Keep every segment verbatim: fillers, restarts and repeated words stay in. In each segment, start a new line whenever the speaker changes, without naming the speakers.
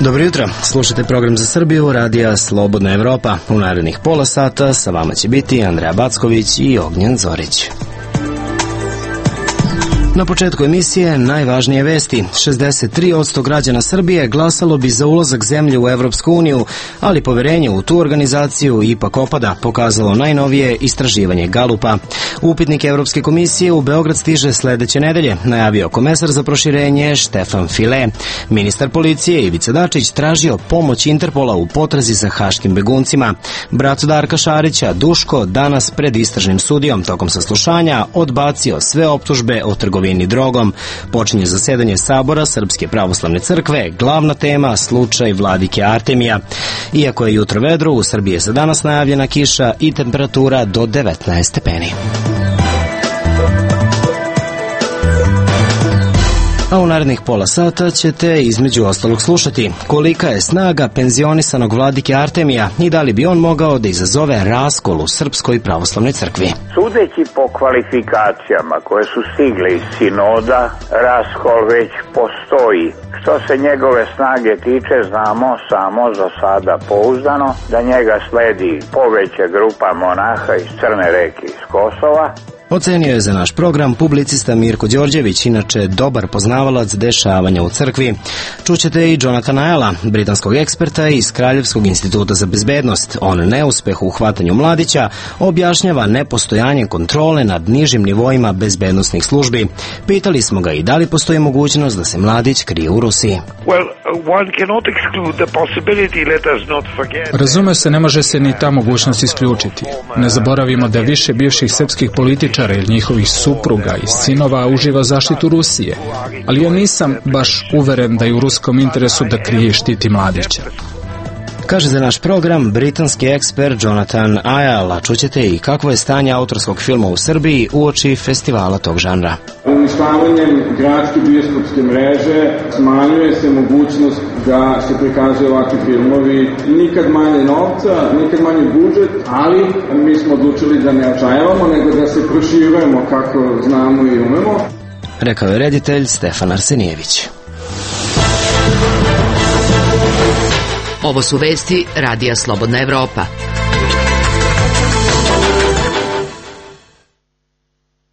Dobro jutro, slušajte program za Srbiju, radija Slobodna Evropa. U narednih pola sata sa vama će biti Andreja Backović i Ognjen Zorić. Na početku emisije najvažnije vesti. šezdeset tri posto građana Srbije glasalo bi za ulazak zemlje u Evropsku uniju, ali poverenje u tu organizaciju ipak opada, pokazalo najnovije istraživanje Galupa. Upitnik Evropske komisije u Beograd stiže sledeće nedelje, najavio komesar za proširenje Štefan File. Ministar policije Ivica Dačić tražio pomoć Interpola u potrazi za haškim beguncima. Brat Darka Šarića, Duško, danas pred istražnim sudijom tokom saslušanja odbacio sve optužbe o trgovini drogom. Počinje zasedanje Sabora Srpske pravoslavne crkve, glavna tema slučaj vladike Artemija. Iako je jutro vedro, u Srbiji je za danas najavljena kiša i temperatura do devetnaest stepeni. A u narednih pola sata ćete između ostalog slušati kolika je snaga penzionisanog vladike Artemija i da li bi on mogao da izazove raskol u Srpskoj pravoslavnoj crkvi.
Sudeći po kvalifikacijama koje su stigle iz sinoda, raskol već postoji. Što se njegove snage tiče, znamo samo za sada pouzdano da njega sledi poveća grupa monaha iz Crne Reke iz Kosova.
Ocenio je za naš program publicista Mirko Đorđević, inače dobar poznavalac dešavanja u crkvi. Čućete i Jonathana Ayala, britanskog eksperta iz Kraljevskog instituta za bezbednost. On neuspeh u hvatanju mladića objašnjava nepostojanje kontrole nad nižim nivoima bezbednostnih službi. Pitali smo ga i da li postoji mogućnost da se mladić krije u Rusiji.
Razume se, ne može se ni ta mogućnost isključiti. Ne zaboravimo da više bivših srpskih političara ili njihovih supruga i sinova uživa zaštitu Rusije, ali ja nisam baš uveren da je u ruskom interesu da krije i štiti mladića.
Kaže za naš program britanski ekspert Jonathan Ayala. Čućete i kakvo je stanje autorskog filma u Srbiji uoči festivala tog žanra.
Uništavanjem gradske bioskopske mreže smanjuje se mogućnost da se prikazuju ovakvi filmovi. Nikad manje novca, nikad manje budžet, ali mi smo odlučili da ne očajavamo, nego da se proširujemo kako znamo i umemo.
Rekao je reditelj Stefan Arsenijević.
Ovo su vesti radija Slobodna Evropa.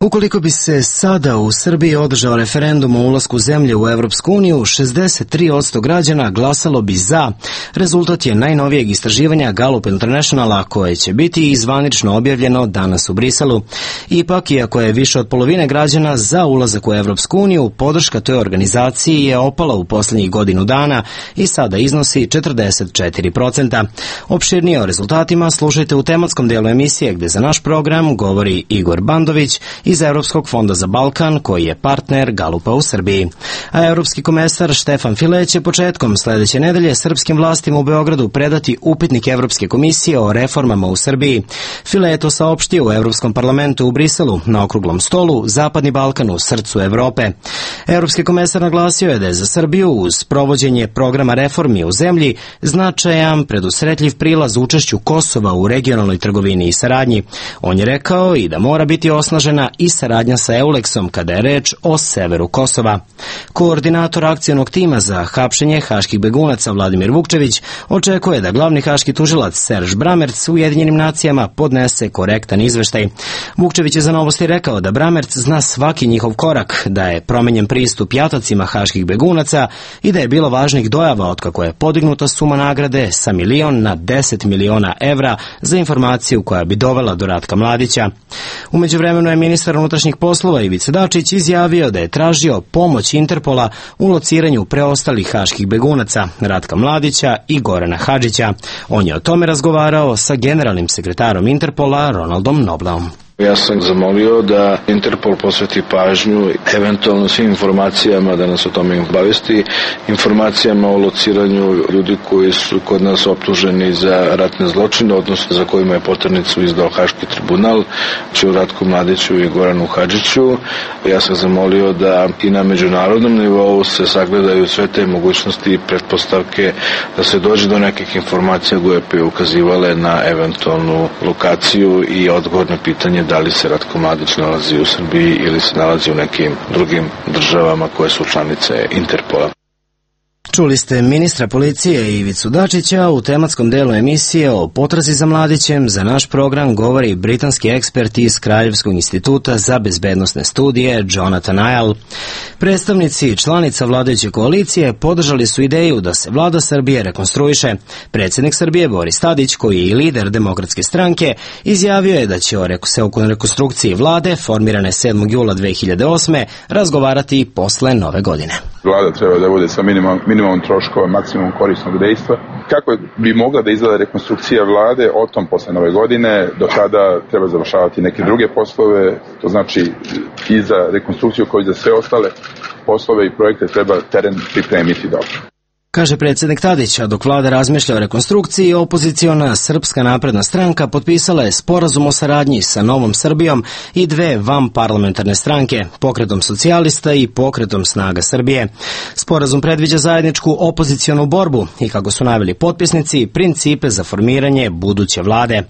Ukoliko bi se sada u Srbiji održao referendum o ulasku zemlje u Evropsku uniju, šezdeset tri posto građana glasalo bi za. Rezultat je najnovijeg istraživanja Gallup Internationala, koje će biti izvanično objavljeno danas u Briselu. Ipak, iako je više od polovine građana za ulazak u Evropsku uniju, podrška toj organizaciji je opala u poslednjih godinu dana i sada iznosi četrdeset četiri posto. Opširnije o rezultatima slušajte u tematskom delu emisije, gde za naš program govori Igor Bandović iz Evropskog fonda za Balkan, koji je partner Galupa u Srbiji. A evropski komesar Štefan File će početkom sledeće nedelje srpskim vlastima u Beogradu predati upitnik Evropske komisije o reformama u Srbiji. File je to saopštio u Evropskom parlamentu u Briselu na okruglom stolu Zapadni Balkan u srcu Evrope. Evropski komesar naglasio je da je za Srbiju uz provođenje programa reformi u zemlji značajan predusretljiv prilaz učešću Kosova u regionalnoj trgovini i saradnji. On je rekao i da mora biti osnažena i saradnja sa Euleksom kada je reč o severu Kosova. Koordinator akcionog tima za hapšenje haških begunaca Vladimir Vukčević očekuje da glavni haški tužilac Serž Bramerc u Ujedinjenim nacijama podnese korektan izveštaj. Vukčević je za Novosti rekao da Bramerc zna svaki njihov korak, da je promenjen pristup jatacima haških begunaca i da je bilo važnih dojava otkako je podignuta suma nagrade sa milion na deset miliona evra za informaciju koja bi dovela do Ratka Mladića. U međuvremenu je ministar unutrašnjih poslova Ivica Dačić izjavio da je tražio pomoć Interpola u lociranju preostalih haških begunaca Ratka Mladića i Gorana Hadžića. On je o tome razgovarao sa generalnim sekretarom Interpola Ronaldom Nobleom.
Ja sam zamolio da Interpol posveti pažnju eventualno svim informacijama, da nas o tome obavesti, informacijama o lociranju ljudi koji su kod nas optuženi za ratne zločine, odnosno za kojima je poternicu izdao Haški tribunal, Ću Ratku Mladiću i Goranu Hadžiću. Ja sam zamolio da i na međunarodnom nivou se sagledaju sve te mogućnosti i pretpostavke da se dođe do nekih informacija koje bi ukazivale na eventualnu lokaciju i odgovor na pitanje da li se Ratko Mladić nalazi u Srbiji ili se nalazi u nekim drugim državama koje su članice Interpola.
Čuli ste ministra policije Ivicu Dačića. U tematskom delu emisije o potrazi za Mladićem za naš program govori britanski ekspert iz Kraljevskog instituta za bezbednosne studije Jonathan Ayal. Predstavnici članica vladajuće koalicije podržali su ideju da se vlada Srbije rekonstruiše. Predsjednik Srbije Boris Tadić, koji je i lider Demokratske stranke, izjavio je da će se o rekonstrukciji vlade formirane sedmog jula dve hiljade osme razgovarati posle nove godine.
Vlada treba da bude sa minimum, minimum troškova, maksimum korisnog dejstva. Kako bi mogla da izgleda rekonstrukcija vlade, o tom posle nove godine, do tada treba završavati neke druge poslove, to znači i za rekonstrukciju koji za sve ostale poslove i projekte treba teren pripremiti dobro.
Kaže predsjednik Tadić, a dok vlada razmišlja o rekonstrukciji, opoziciona Srpska napredna stranka potpisala je sporazum o saradnji sa Novom Srbijom i dve vanparlamentarne stranke, Pokretom socijalista i Pokretom snaga Srbije. Sporazum predviđa zajedničku opozicionu borbu i, kako su naveli potpisnici, principe za formiranje buduće vlade.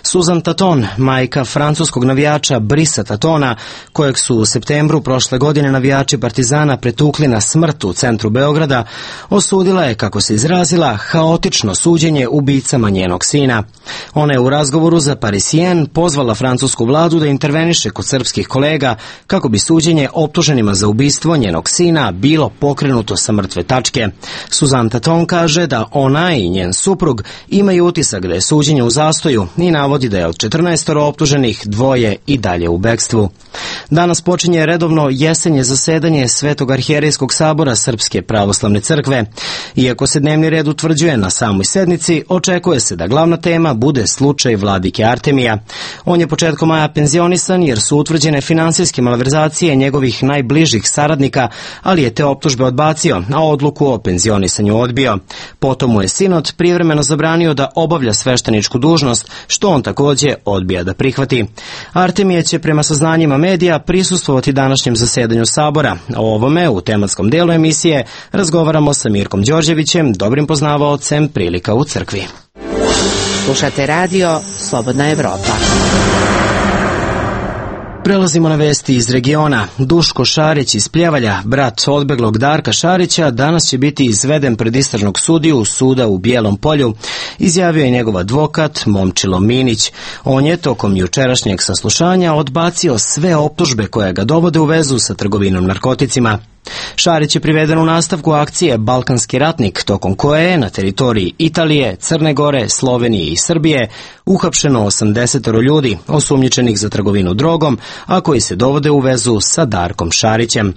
Susan Taton, majka francuskog navijača Brisa Tatona, kojeg su u septembru prošle godine navijači Partizana pretukli na smrt u centru Beograda, osudila je, kako se izrazila, haotično suđenje ubicama njenog sina. Ona je u razgovoru za Parisien pozvala francusku vladu da interveniše kod srpskih kolega kako bi suđenje optuženima za ubistvo njenog sina bilo pokrenuto sa mrtve tačke. Susan Taton kaže da ona i njen suprug imaju utisak da je suđenje u zastoju i navodi da je od četrnaestoro optuženih dvoje i dalje u bekstvu. Danas počinje redovno jesenje zasedanje Svetog arhijerejskog sabora Srpske pravoslavne crkve. Iako se dnevni red utvrđuje na samoj sednici, očekuje se da glavna tema bude slučaj vladike Artemija. On je početkom maja penzionisan jer su utvrđene finansijske malverzacije njegovih najbližih saradnika, ali je te optužbe odbacio, a odluku o penzionisanju odbio. Potom mu je sinod privremeno zabranio da obavlja svešteničku dužnost, što on također odbija da prihvati. Artemije će prema saznanjima medija prisustvovati današnjem zasedanju sabora. O ovome u tematskom delu emisije razgovaramo sa Mirkom Đorđevićem, dobrim poznavaocem prilika u crkvi.
Slušate radio Slobodna Evropa.
Prelazimo na vesti iz regiona. Duško Šarić iz Pljevalja, brat odbeglog Darka Šarića, danas će biti izveden pred istražnog sudiju suda u Bijelom Polju, izjavio je njegov advokat Momčilo Minić. On je tokom jučerašnjeg saslušanja odbacio sve optužbe koje ga dovode u vezu sa trgovinom narkoticima. Šarić je priveden u nastavku akcije Balkanski ratnik, tokom koje je na teritoriji Italije, Crne Gore, Slovenije i Srbije uhapšeno osamdeset ljudi osumnjičenih za trgovinu drogom, a koji se dovode u vezu sa Darkom Šarićem.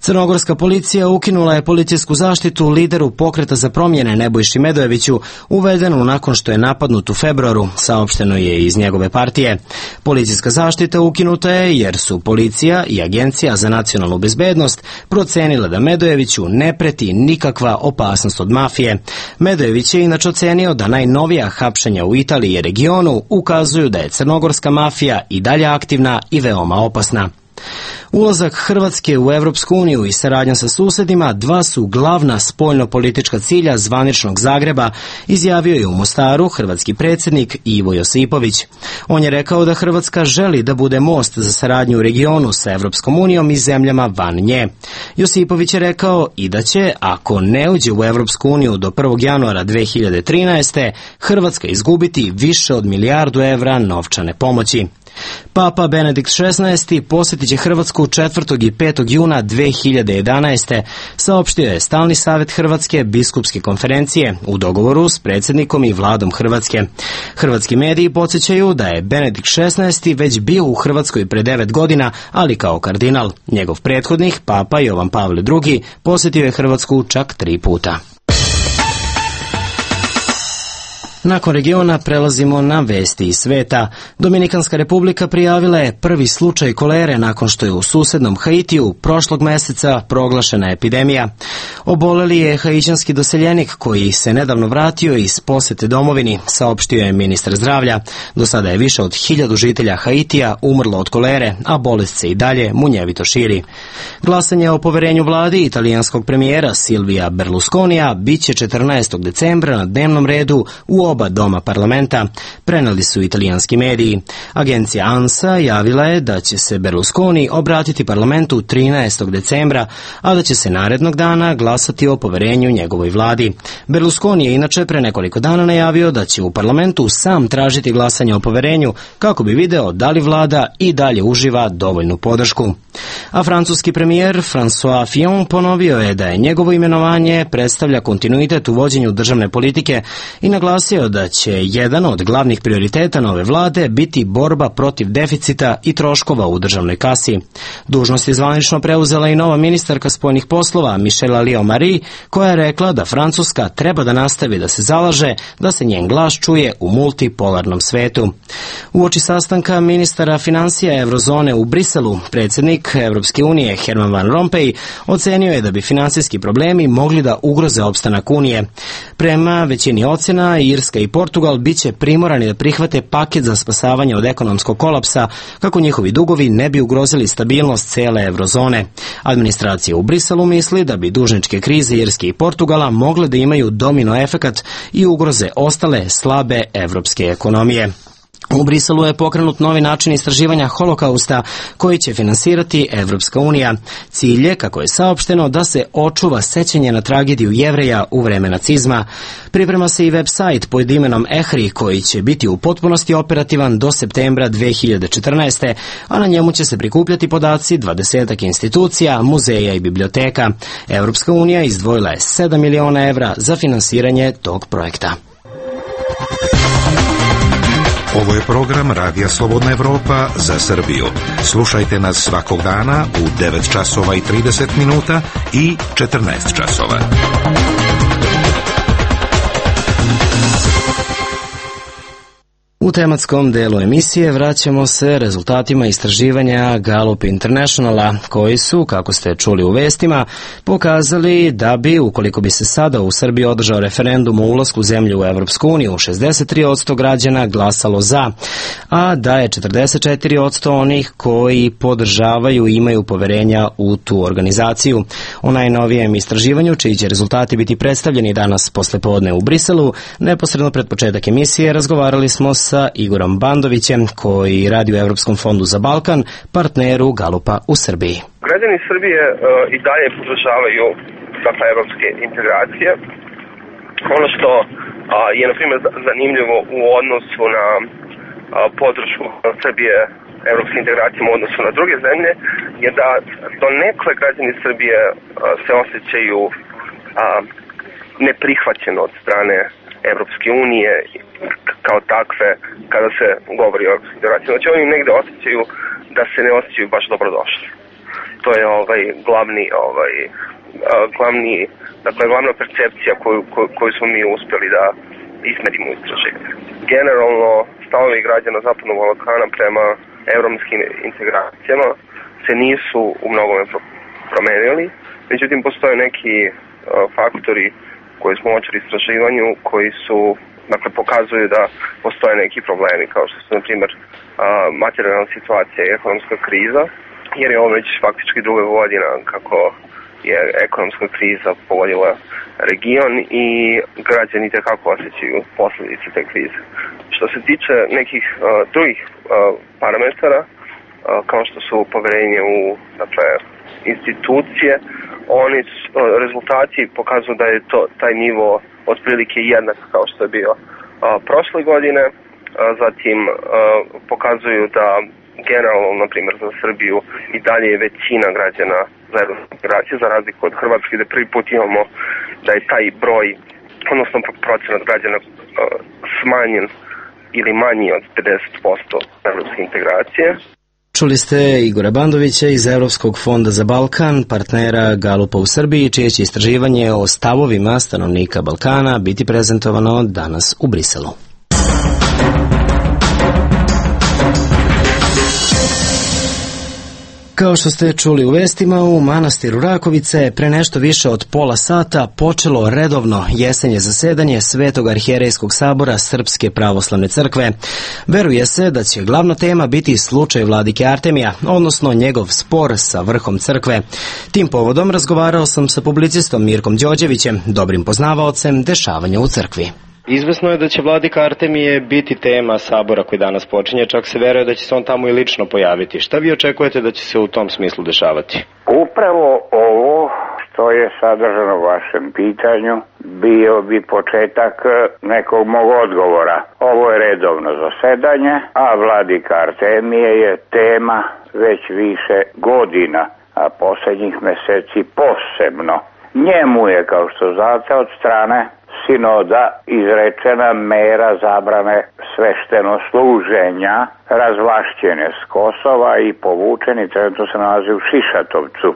Crnogorska policija ukinula je policijsku zaštitu lideru Pokreta za promjene Nebojši Medojeviću, uvedenu nakon što je napadnut u februaru, saopšteno je iz njegove partije. Policijska zaštita ukinuta je jer su policija i Agencija za nacionalnu bezbednost procenila da Medojeviću ne preti nikakva opasnost od mafije. Medojević je inače ocenio da najnovija hapšenja u Italiji i regionu ukazuju da je crnogorska mafija i dalje aktivna i veoma opasna. Ulazak Hrvatske u Evropsku uniju i saradnja sa susedima dva su glavna spoljno-politička cilja zvaničnog Zagreba, izjavio je u Mostaru hrvatski predsjednik Ivo Josipović. On je rekao da Hrvatska želi da bude most za saradnju u regionu sa Evropskom unijom i zemljama van nje. Josipović je rekao i da će, ako ne uđe u Evropsku uniju do prvog januara dve hiljade trinaeste. Hrvatska izgubiti više od milijardu evra novčane pomoći. Papa Benedikt šesnaesti posjetit će Hrvatsku četvrtog i petog juna dve hiljade jedanaeste. saopštio je Stalni savjet Hrvatske biskupske konferencije u dogovoru s predsjednikom i vladom Hrvatske. Hrvatski mediji podsjećaju da je Benedikt šesnaesti već bio u Hrvatskoj pre devet godina, ali kao kardinal. Njegov prethodnik, Papa Jovan Pavle drugi, posjetio je Hrvatsku čak tri puta. Nakon regiona prelazimo na vesti iz sveta. Dominikanska republika prijavila je prvi slučaj kolere nakon što je u susednom Haitiju prošlog meseca proglašena epidemija. Oboleli je haićanski doseljenik koji se nedavno vratio iz posete domovini, saopštio je ministar zdravlja. Do sada je više od hiljadu žitelja Haitija umrlo od kolere, a bolest se i dalje munjevito širi. Glasanje o poverenju vladi italijanskog premijera Silvija Berlusconija biće četrnaestog decembra na dnevnom redu u oba doma parlamenta, preneli su italijanski mediji. Agencija ANSA javila je da će se Berlusconi obratiti parlamentu trinaestog decembra, a da će se narednog dana glasati o poverenju njegovoj vladi. Berlusconi je inače pre nekoliko dana najavio da će u parlamentu sam tražiti glasanje o poverenju kako bi video da li vlada i dalje uživa dovoljnu podršku. A francuski premijer François Fillon ponovio je da je njegovo imenovanje predstavlja kontinuitet u vođenju državne politike i naglasio da će jedan od glavnih prioriteta nove vlade biti borba protiv deficita i troškova u državnoj kasi. Dužnost je zvanično preuzela i nova ministarka spoljnih poslova Michelle Alliot-Marie, koja je rekla da Francuska treba da nastavi da se zalaže da se njen glas čuje u multipolarnom svetu. Uoči sastanka ministara finansija Eurozone u Briselu, predsjednik Evropske unije Herman Van Rompuy ocenio je da bi finansijski problemi mogli da ugroze opstanak Unije. Prema većini ocena, Irska i Portugal biće primorani da prihvate paket za spasavanje od ekonomskog kolapsa kako njihovi dugovi ne bi ugrozili stabilnost cele Eurozone. Administracija u Briselu misli da bi dužničke krize Irske i Portugala mogle da imaju domino efekat i ugroze ostale slabe evropske ekonomije. U Briselu je pokrenut novi način istraživanja holokausta koji će finansirati Evropska unija. Cilj je, kako je saopšteno, da se očuva sećanje na tragediju Jevreja u vreme nacizma. Priprema se i web sajt pod imenom EHRI koji će biti u potpunosti operativan do septembra dve hiljade četrnaeste. a na njemu će se prikupljati podaci dvadesetak institucija, muzeja i biblioteka. Evropska unija izdvojila je sedam miliona evra za finansiranje tog projekta.
Ovo je program Radija Slobodna Evropa za Srbiju. Slušajte nas svakog dana u devet časova i trideset minuta i četrnaest časova.
U tematskom delu emisije vraćamo se rezultatima istraživanja Gallup Internationala, koji su, kako ste čuli u vestima, pokazali da bi, ukoliko bi se sada u Srbiji održao referendum o ulasku zemlje u Evropsku uniju, šezdeset tri posto građana glasalo za, a da je četrdeset četiri posto onih koji podržavaju i imaju poverenja u tu organizaciju. O najnovijem istraživanju, čiji će rezultati biti predstavljeni danas poslepodne u Briselu, neposredno pred početak emisije razgovarali smo sa sa Igorom Bandovićem, koji radi u Evropskom fondu za Balkan, partneru Gallupa u Srbiji.
Građani Srbije uh, i dalje podržavaju dakle evropske integracije. Ono što uh, je na primjer zanimljivo u odnosu na uh, podršku Srbije evropske integracije u odnosu na druge zemlje je da do nekle građani Srbije uh, se osjećaju uh, neprihvaćeno od strane Evropske unije kao takve kada se govori o evropskoj integraciji. Znači oni negde osjećaju da se ne osjećaju baš dobrodošli. To je ovaj glavni ovaj glavni dakle glavna percepcija koju koju, koju smo mi uspjeli da izmerimo u istraživanju. Generalno stavovi građana Zapadnog Balkana prema evropskim integracijama se nisu u mnogome promenili. Međutim postoje neki uh, faktori koji smo uočili istraživanju, koji su, dakle, pokazuju da postoje neki problemi, kao što su, na primjer, materijalna situacija i ekonomska kriza, jer je ovo već faktički druga godina kako je ekonomska kriza pogodila region i građani tekako osjećaju posljedice te krize. Što se tiče nekih uh, drugih uh, parametara, uh, kao što su poverenje u, dakle, institucije, oni rezultati pokazuju da je to taj nivo otprilike jednak kao što je bio a, prošle godine. A, zatim a, pokazuju da generalno, na primjer za Srbiju, i dalje je većina građana za evropske integracije, za razliku od Hrvatske, da prvi put imamo da je taj broj, odnosno procenat građana a, smanjen ili manji od pedeset posto evropske integracije.
Čuli ste Igora Bandovića iz Evropskog fonda za Balkan, partnera Galupa u Srbiji, čije će istraživanje o stavovima stanovnika Balkana biti prezentovano danas u Briselu. Kao što ste čuli u vestima, u manastiru Rakovica je pre nešto više od pola sata počelo redovno jesenje zasedanje Svetog arhijerejskog sabora Srpske pravoslavne crkve. Veruje se da će glavna tema biti slučaj vladike Artemija, odnosno njegov spor sa vrhom crkve. Tim povodom razgovarao sam sa publicistom Mirkom Đorđevićem, dobrim poznavaocem dešavanja u crkvi.
Izvesno je da će vladika Artemije biti tema sabora koji danas počinje, čak se veruje da će se on tamo i lično pojaviti. Šta vi očekujete da će se u tom smislu dešavati?
Upravo ovo što je sadržano u vašem pitanju bio bi početak nekog mog odgovora. Ovo je redovno zasedanje, a vladika Artemije je tema već više godina, a posljednjih meseci posebno. Njemu je, kao što znate, od strane sinoda izrečena mera zabrane svešteno-služenja, razvlašćene s Kosova i povučeni, trenutno se nalazi u Šišatovcu.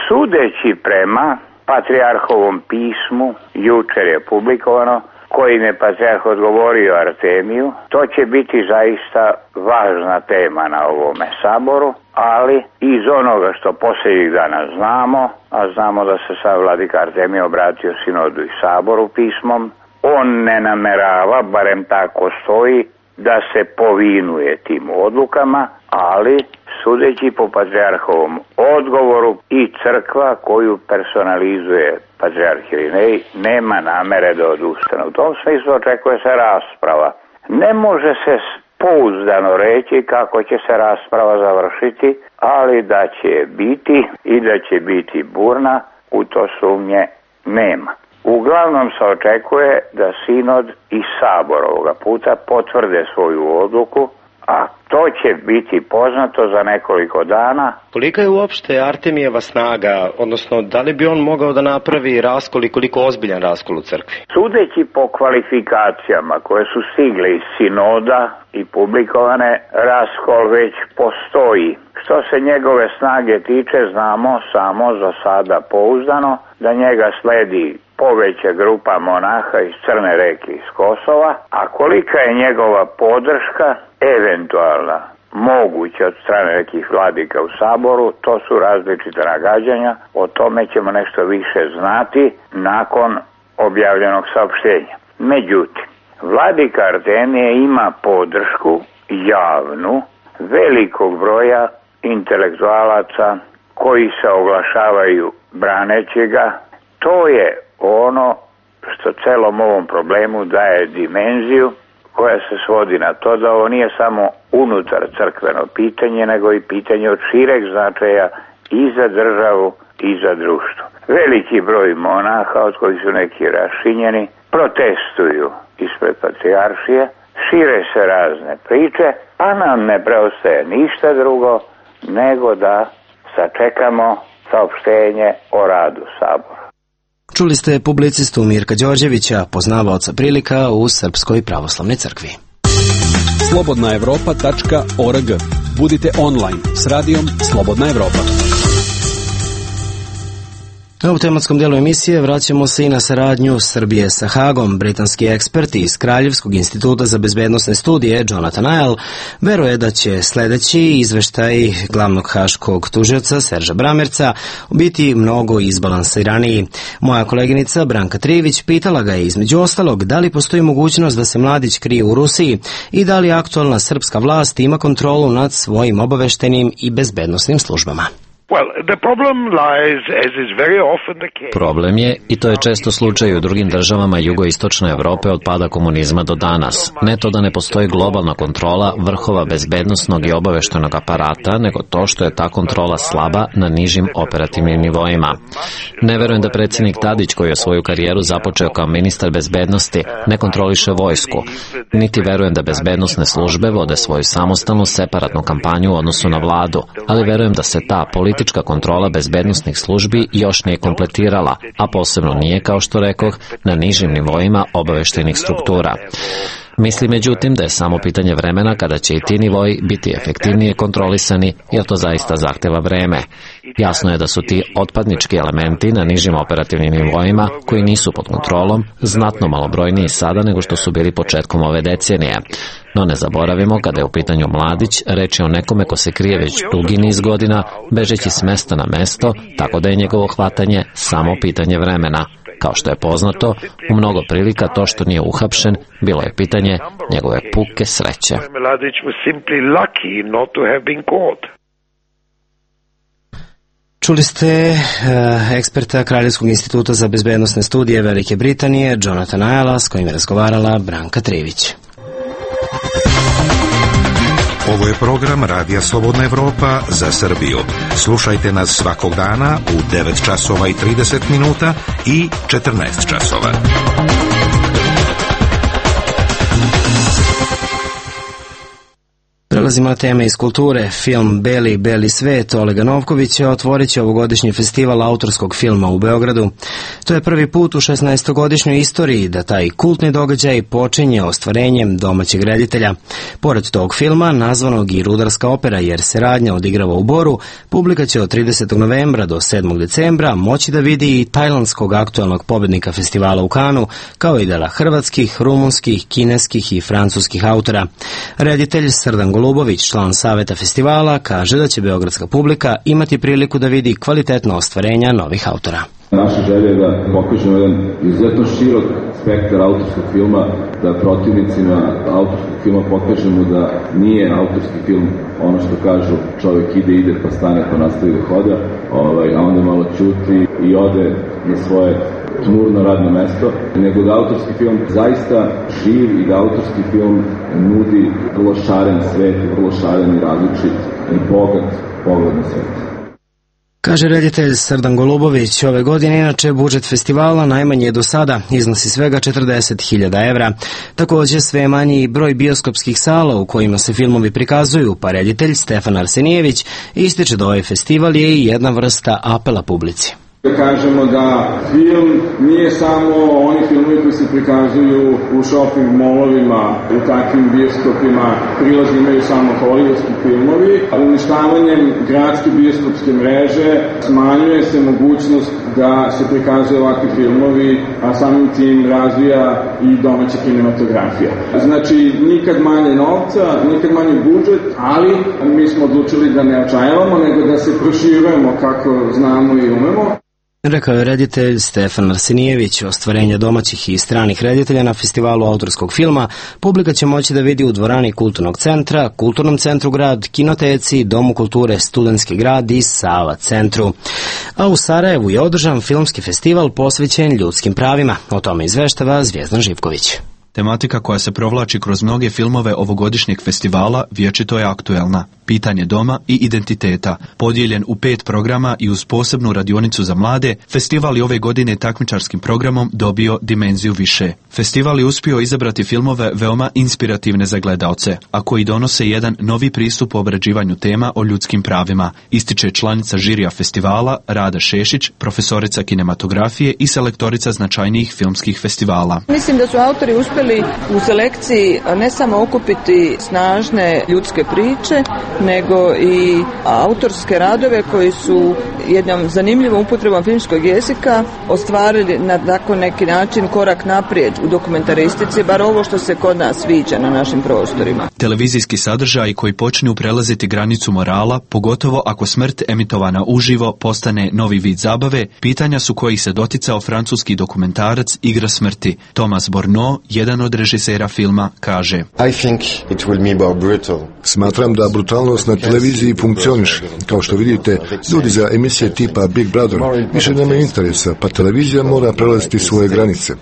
Sudeći prema patrijarhovom pismu, jučer je publikovano, kojim je patrijarh odgovorio Artemiju, to će biti zaista važna tema na ovome saboru, ali iz onoga što posljednjih dana znamo, a znamo da se sad vladika Artemije obratio sinodu i saboru pismom, on ne namerava, barem tako stoji, da se povinuje tim odlukama, ali sudeći po patrijarhovom odgovoru i crkva koju personalizuje patrijarh Irinej nema namere da odustane. U tom smislu očekuje se rasprava. Ne može se pouzdano reći kako će se rasprava završiti, ali da će biti i da će biti burna, u to sumnje nema. Uglavnom se očekuje da sinod i sabor ovoga puta potvrde svoju odluku, a to će biti poznato za nekoliko dana.
Kolika je uopšte Artemijeva snaga, odnosno da li bi on mogao da napravi raskol i koliko ozbiljan raskol u crkvi?
Sudeći po kvalifikacijama koje su stigle iz sinoda i publikovane, raskol već postoji. Što se njegove snage tiče, znamo samo za sada pouzdano da njega sledi poveća grupa monaha iz Crne Reke iz Kosova, a kolika je njegova podrška, eventualna, moguća od strane nekih vladika u saboru, to su različite nagađanja, o tome ćemo nešto više znati nakon objavljenog saopštenja. Međutim, vladika Artemije ima podršku javnu velikog broja intelektualaca koji se oglašavaju braneći ga. To je ono što celom ovom problemu daje dimenziju koja se svodi na to da ovo nije samo unutar crkveno pitanje, nego i pitanje od šireg značaja i za državu i za društvo. Veliki broj monaha, od kojih su neki rašinjeni, protestuju ispred patrijaršije, šire se razne priče, a nam ne preostaje ništa drugo nego da sačekamo saopštenje o radu sabora.
Čuli ste publicistu Mirka Đorđevića, poznavaoca prilika u Srpskoj pravoslavnoj crkvi.
slobodna evropa tačka org. Budite online s radijom Slobodna Evropa.
U tematskom dijelu emisije vraćamo se i na saradnju Srbije sa Hagom. Britanski eksperti iz Kraljevskog instituta za bezbednosne studije Jonathan Isle veruje da će sledeći izveštaj glavnog haškog tužioca Serža Bramerca biti mnogo izbalansiraniji. Moja koleginica Branka Trivić pitala ga je između ostalog da li postoji mogućnost da se mladić krije u Rusiji i da li aktualna srpska vlast ima kontrolu nad svojim obaveštenim i bezbednosnim službama.
Problem je, i to je često slučaj u drugim državama jugoistočne Evrope od pada komunizma do danas, ne to da ne postoji globalna kontrola vrhova bezbednosnog i obaveštenog aparata, nego to što je ta kontrola slaba na nižim operativnim nivoima. Ne verujem da predsjednik Tadić, koji je svoju karijeru započeo kao ministar bezbednosti, ne kontroliše vojsku, niti verujem da bezbednosne službe vode svoju samostalnu separatnu kampanju u odnosu na vladu, ali verujem da se ta politika politička kontrola bezbednosnih službi još nije kompletirala, a posebno nije, kao što rekoh, na nižim nivoima obaveštajnih struktura. Misli međutim da je samo pitanje vremena kada će i ti nivoji biti efektivnije kontrolisani, jer to zaista zahteva vreme. Jasno je da su ti otpadnički elementi na nižim operativnim nivoima, koji nisu pod kontrolom, znatno malobrojniji sada nego što su bili početkom ove decenije. No ne zaboravimo, kada je u pitanju mladić, reč je o nekome ko se krije već dugi niz godina, bežeći s mesta na mesto, tako da je njegovo hvatanje samo pitanje vremena. Kao što je poznato, u mnogo prilika to što nije uhapšen bilo je pitanje njegove puke sreće.
Čuli ste uh, eksperta Kraljevskog instituta za bezbednosne studije Velike Britanije, Jonathan Ayala, s kojim je razgovarala Branka Trivić.
Ovo je program Radija Slobodna Evropa za Srbiju. Slušajte nas svakog dana u devet časova i trideset minuta i četrnaest časova.
Prelazimo na teme iz kulture. Film Beli, Beli svet Olega Novkovića otvorit će ovogodišnji festival autorskog filma u Beogradu. To je prvi put u šesnaestogodišnjoj istoriji da taj kultni događaj počinje ostvarenjem domaćeg reditelja. Pored tog filma, nazvanog i rudarska opera jer se radnja odigrava u Boru, publika će od tridesetog novembra do sedmog decembra moći da vidi i tajlandskog aktualnog pobednika festivala u Kanu, kao i dela hrvatskih, rumunskih, kineskih i francuskih autora. Reditelj Srdan Golubović, član saveta festivala, kaže da će beogradska publika imati priliku da vidi kvalitetno ostvarenja novih autora.
Naša želja je da pokažemo jedan izuzetno širok spektar autorskog filma, da protivnicima autorskog filma pokažemo da nije autorski film ono što kažu čovjek ide, ide pa stane pa nastavi da hoda, ovaj, a onda malo ćuti i ode na svoje tmurno radno mesto, nego da autorski film zaista živ i da autorski film nudi vrlo šaren svet, vrlo šaren i različit i bogat pogled na svet.
Kaže reditelj Srdan Golubović, ove godine inače budžet festivala najmanji je do sada, iznosi svega četrdeset hiljada evra. Također sve manji broj bioskopskih sala u kojima se filmovi prikazuju, pa reditelj Stefan Arsenijević ističe da ovaj festival je i jedna vrsta apela publici.
Da kažemo da film nije samo oni filmovi koji se prikazuju u shopping molovima, u takvim bioskopima, prilazi imaju samo hollywoodski filmovi, a uništavanjem gradske bioskopske mreže smanjuje se mogućnost da se prikazuju ovakvi filmovi, a samim tim razvija i domaća kinematografija. Znači, nikad manje novca, nikad manje budžet, ali mi smo odlučili da ne očajavamo, nego da se proširujemo kako znamo i umemo.
Rekao je reditelj Stefan Arsenijević. Ostvarenje domaćih i stranih reditelja na festivalu autorskog filma publika će moći da vidi u dvorani Kulturnog centra, Kulturnom centru grad, Kinoteci, Domu kulture Studentski grad i Sava centru. A u Sarajevu je održan filmski festival posvećen ljudskim pravima. O tome izveštava Zvijezdan Živković.
Tematika koja se provlači kroz mnoge filmove ovogodišnjeg festivala vječito je aktuelna. Pitanje doma i identiteta. Podijeljen u pet programa i uz posebnu radionicu za mlade, festival je ove godine takmičarskim programom dobio dimenziju više. Festival je uspio izabrati filmove veoma inspirativne za gledaoce, a koji donose jedan novi pristup u obrađivanju tema o ljudskim pravima, ističe članica žirija festivala Rada Šešić, profesorica kinematografije i selektorica značajnijih filmskih festivala.
Mislim da su autori uspjeli u selekciji ne samo okupiti snažne ljudske priče, nego i autorske radove koji su jednom zanimljivom upotrebom filmskog jezika ostvarili na tako neki način korak naprijed u dokumentaristici, bar ovo što se kod nas viđa na našim prostorima.
Televizijski sadržaj koji počinju prelaziti granicu morala, pogotovo ako smrt emitovana uživo postane novi vid zabave, pitanja su kojih se doticao francuski dokumentarac Igra smrti. Thomas Borneau, jedan od režisera filma, kaže:
I think it will be more brutal.
Smatram da brutalnost na televiziji funkcioniše. Kao što vidite, ljudi za emisije tipa Big Brother više nemaju interesa, pa televizija mora prelaziti svoje granice.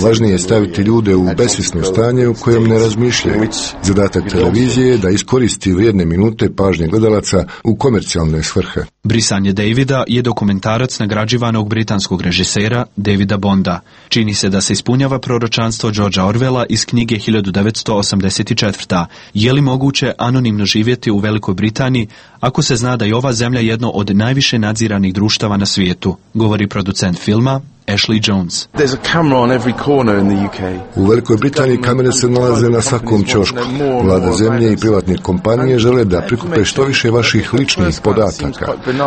Važnije je staviti ljude u besvjesno stanje u kojem ne razmišljaju. Zadatak televizije je da iskoristi vrijedne minute pažnje gledalaca u komercijalne svrhe.
Brisanje Davida je dokumentarac nagrađivanog britanskog režisera Davida Bonda. Čini se da se ispunjava proročanstvo Georgea Orwella iz knjige hiljadu devetsto osamdeset četvrta. Je li moguće anonimno živjeti u u Velikoj Britaniji ako se zna da je ova zemlja jedno od najviše nadziranih društava na svijetu, govori producent filma Ashley Jones.
U Velikoj Britaniji kamere se nalaze na svakom ćošku. Vlada zemlje i privatne kompanije žele da prikupe što više vaših ličnih podataka.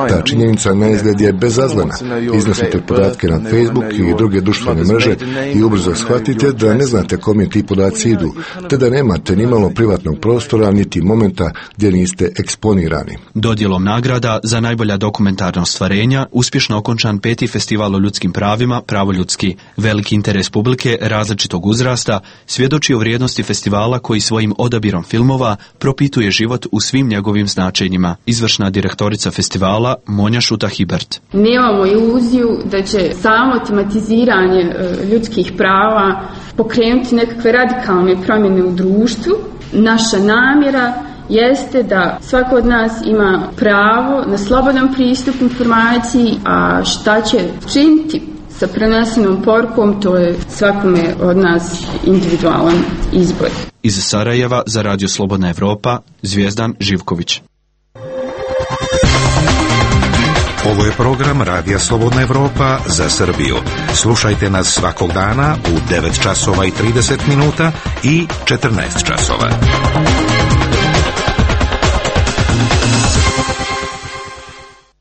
Ta činjenica na izgled je bezazlena. Iznosite podatke na Facebook i druge društvene mreže i ubrzo shvatite da ne znate kome ti podaci idu, te da nemate ni malo privatnog prostora niti momenta gdje niste eksponirani.
Dodjelom nagrada za najbolja dokumentarna ostvarenja uspješno okončan peti festival o ljudskim pravima Pravo ljudski. Veliki interes publike različitog uzrasta svjedoči o vrijednosti festivala koji svojim odabirom filmova propituje život u svim njegovim značenjima. Izvršna direktorica festivala Monja Šuta-Hibert.
Nemamo iluziju da će samo tematiziranje ljudskih prava pokrenuti nekakve radikalne promjene u društvu. Naša namjera jeste da svako od nas ima pravo na slobodan pristup informaciji, a šta će činiti sa prenesenom porukom, to je svakome od nas individualan izbor.
Iz Sarajeva za Radio Slobodna Evropa, Zvijezdan Živković.
Ovo je program Radija Slobodna Evropa za Srbiju. Slušajte nas svakog dana u devet časova i trideset minuta i četrnaest časova.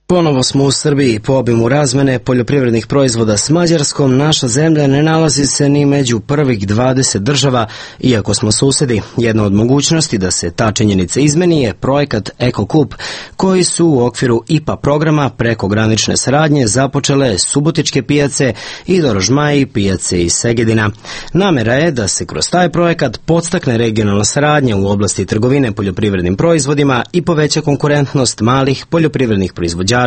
Ponovo smo u Srbiji. Po obimu razmene poljoprivrednih proizvoda s Mađarskom, naša zemlja ne nalazi se ni među prvih dvadeset država, iako smo susjedi. Jedna od mogućnosti da se ta činjenica izmeni je projekat EkoKup, koji su u okviru I P A programa prekogranične saradnje započele Subotičke pijace i Dorožmaji pijace iz Segedina. Namjera je da se kroz taj projekat podstakne regionalna saradnja u oblasti trgovine poljoprivrednim proizvodima i poveća konkurentnost malih poljoprivrednih proizvođača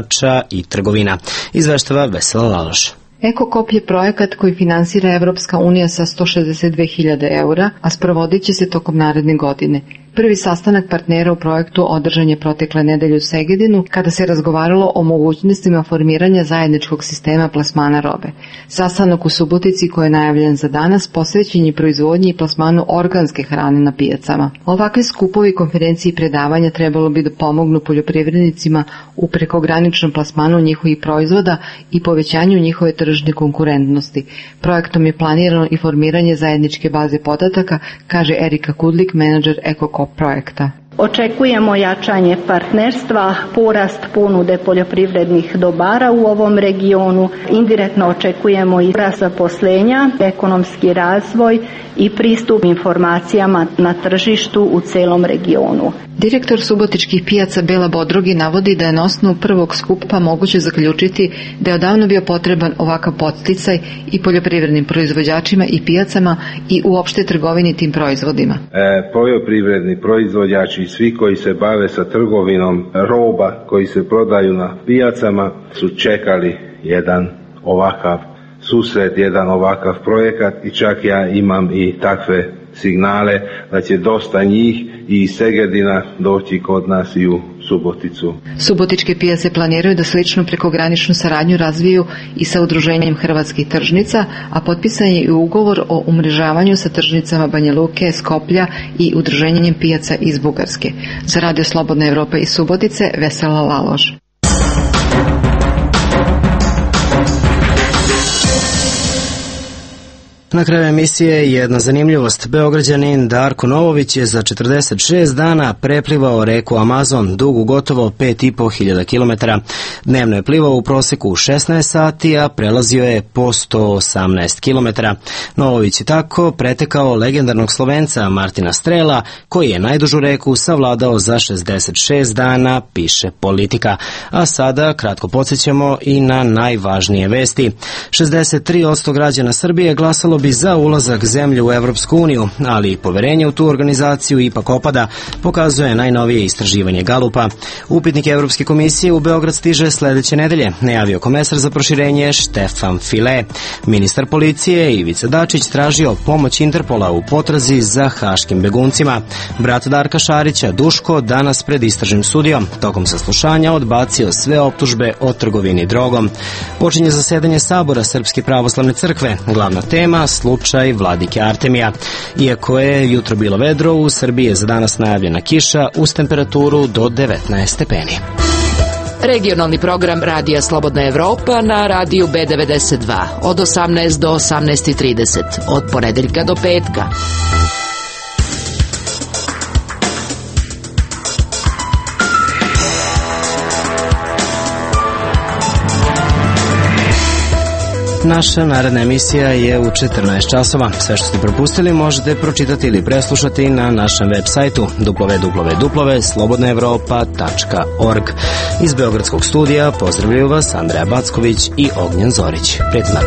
i trgovina. Izveštava Vesela Laloš.
EkoKup je projekat koji finansira Evropska unija sa sto šezdeset dve hiljade eura, a sprovodit će se tokom naredne godine. Prvi sastanak partnera u projektu održan je protekle nedelje u Segedinu, kada se razgovaralo o mogućnostima formiranja zajedničkog sistema plasmana robe. Sastanak u Subotici, koji je najavljen za danas, posvećen je proizvodnji i plasmanu organske hrane na pijacama. Ovakve skupovi, konferencije i predavanja trebalo bi da pomognu poljoprivrednicima u prekograničnom plasmanu njihovih proizvoda i povećanju njihove tržne konkurentnosti. Projektom je planirano i formiranje zajedničke baze podataka, kaže Erika Kudlik, menadžer EkoKup projekta.
Očekujemo jačanje partnerstva, porast ponude poljoprivrednih dobara u ovom regionu, indirektno očekujemo i rast zaposlenja, ekonomski razvoj i pristup informacijama na tržištu u celom regionu.
Direktor Subotičkih pijaca Bela Bodrogi navodi da je na osnovu prvog skupa moguće zaključiti da je odavno bio potreban ovakav podsticaj i poljoprivrednim proizvođačima i pijacama i uopšte trgovini tim proizvodima.
E, poljoprivredni proizvođači i svi koji se bave sa trgovinom roba koji se prodaju na pijacama su čekali jedan ovakav susret, jedan ovakav projekat i čak ja imam i takve signale da će dosta njih i iz Segedina doći kod nas i u Suboticu.
Subotičke pijace planiraju da sličnu prekograničnu saradnju razviju i sa udruženjem hrvatskih tržnica, a potpisan je i ugovor o umrežavanju sa tržnicama Banja Luke, Skoplja i udruženjem pijaca iz Bugarske. Za Radio Slobodna Evropa iz Subotice, Vesela Laloš.
Na kraju emisije jedna zanimljivost. Beograđanin Darko Novović je za četrdeset šest dana preplivao reku Amazon, dugu gotovo pet i po hiljada kilometara. Dnevno je plivao u proseku šesnaest sati, a prelazio je po sto osamnaest kilometara. Novović je tako pretekao legendarnog Slovenca Martina Strela, koji je najdužu reku savladao za šezdeset šest dana, piše Politika. A sada kratko podsjećamo i na najvažnije vesti. šezdeset tri posto građana Srbije glasalo bi za ulazak zemlje u Evropsku uniju, ali i poverenje u tu organizaciju ipak opada, pokazuje najnovije istraživanje Galupa. Upitnik Evropske komisije u Beograd stiže sledeće nedelje, najavio komesar za proširenje Štefan File. Ministar policije Ivica Dačić tražio pomoć Interpola u potrazi za haškim beguncima. Brat Darka Šarića, Duško, danas pred istražnim sudijom, tokom saslušanja odbacio sve optužbe o trgovini drogom. Počinje zasedanje Sabora Srpske pravoslavne crkve. Glavna tema slučaj Vladike Artemija. Iako je jutro bilo vedro, u Srbiji je za danas najavljena kiša uz temperaturu do devetnaest stepeni.
Regionalni program Radija Slobodna Evropa na radiju B devedeset dva od osamnaest do osamnaest trideset, od ponedeljka do petka.
Naša naredna emisija je u četrnaest časova. Sve što ste propustili možete pročitati ili preslušati na našem web sajtu w w w tačka slobodna evropa tačka org. Iz Beogradskog studija pozdravljaju vas Andreja Backović i Ognjen Zorić. Prijetno.